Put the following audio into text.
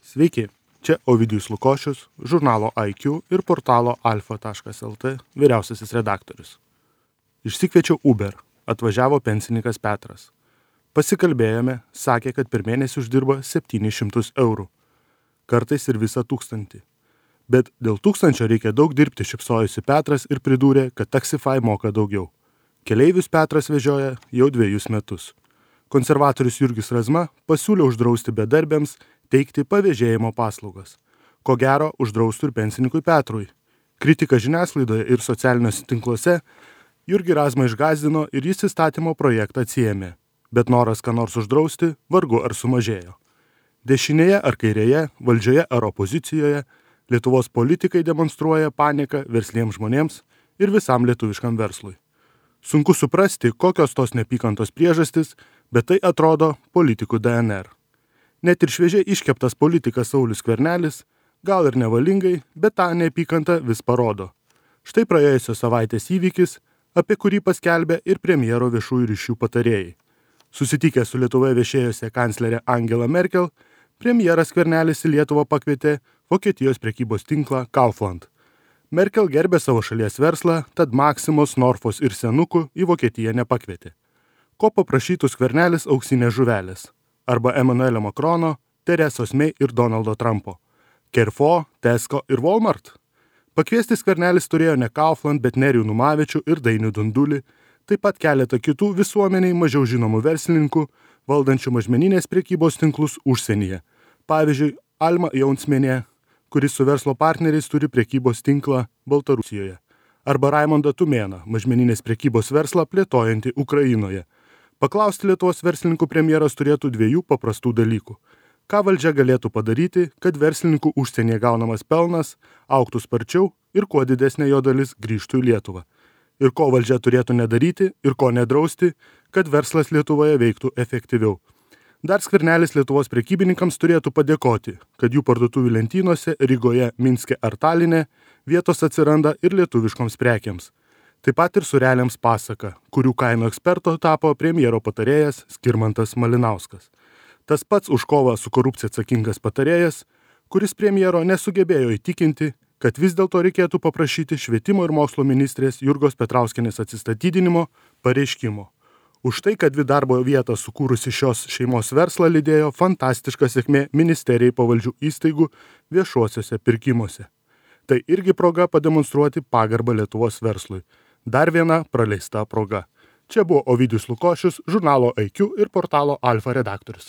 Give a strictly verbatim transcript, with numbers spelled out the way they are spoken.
Sveiki, čia Ovidijus Lukošius, žurnalo I Q ir portalo alfa taškas L T vyriausiasis redaktorius. Išsikviečiau Uber, atvažiavo pensininkas Petras. Pasikalbėjome, sakė, kad per mėnesį uždirba septynis šimtus eurų, kartais ir visą tūkstantį. Bet dėl tūkstančio reikia daug dirbti, šypsojosi Petras ir pridūrė, kad Taxify moka daugiau. Keleivius Petras vežioja jau dviejus metus. Konservatorius Jurgis Razma pasiūlė uždrausti bedarbiams teikti pavėžėjimo paslaugas. Ko gero, uždraustų ir pensininkui Petrui. Kritika žiniasklaidoje ir socialiniuose tinkluose Jurgį Razmą išgąsdino ir jis įstatymo projektą atsiėmė. Bet noras ką nors uždrausti vargu ar sumažėjo. Dešinėje ar kairėje, valdžioje ar opozicijoje, Lietuvos politikai demonstruoja paniką versliems žmonėms ir visam lietuviškam verslui. Sunku suprasti, kokios tos neapykantos priežastys, bet tai atrodo politikų D N R. Net ir šviežiai iškeptas politikas Saulius Skvernelis, gal ir nevalingai, bet tą neapykantą vis parodo. Štai praėjusios savaitės įvykis, apie kurį paskelbė ir premjero viešųjų ryšių patarėjai. Susitikęs su Lietuvoje viešėjusia kanclerė Angela Merkel, premjeras Skvernelis į Lietuvą pakvietė Vokietijos prekybos tinklą Kaufland. Merkel gerbė savo šalies verslą, tad Maksimos, Norfos ir Senukų į Vokietiją nepakvietė. Ko paprašytų Skvernelis auksinės žuvelės? Arba Emanuelio Makrono, Teresos May ir Donaldo Trumpo. Carrefour, Tesco ir Walmart? Pakviesti Skvernelis turėjo ne Kaufland, bet Nerijų Numavičių ir Dainių Dundulį, taip pat keletą kitų visuomeniai mažiau žinomų verslininkų, valdančių mažmeninės prekybos tinklus užsienyje. Pavyzdžiui, Alma Jaunsmenė, kuris su verslo partneriais turi prekybos tinklą Baltarusijoje. Arba Raimondą Tumėną, mažmeninės prekybos verslą plėtojantį Ukrainoje. Paklausti Lietuvos verslininkų premjeras turėtų dviejų paprastų dalykų. Ką valdžia galėtų padaryti, kad verslininkų užsienyje gaunamas pelnas augtų sparčiau ir kuo didesnė jo dalis grįžtų į Lietuvą. Ir ko valdžia turėtų nedaryti ir ko nedrausti, kad verslas Lietuvoje veiktų efektyviau. Dar Skvernelis Lietuvos prekybininkams turėtų padėkoti, kad jų parduotuvių lentynose Rygoje, Minske ar Taline vietos atsiranda ir lietuviškoms prekiams. Taip pat ir sureliams pasaka, kurių kainų eksperto tapo premjero patarėjas Skirmantas Malinauskas. Tas pats už kovą su korupcija atsakingas patarėjas, kuris premjero nesugebėjo įtikinti, kad vis dėlto reikėtų paprašyti švietimo ir mokslo ministrės Jurgos Petrauskienės atsistatydinimo pareiškimo. Už tai, kad dvi darbo vietą sukūrusi šios šeimos verslą lydėjo fantastiška sėkmė ministerijai pavaldžių įstaigų viešuosiuose pirkimuose. Tai irgi proga pademonstruoti pagarbą Lietuvos verslui. Dar viena praleista proga. Čia buvo Ovidijus Lukošius, žurnalo I Q ir portalo Alfa redaktorius.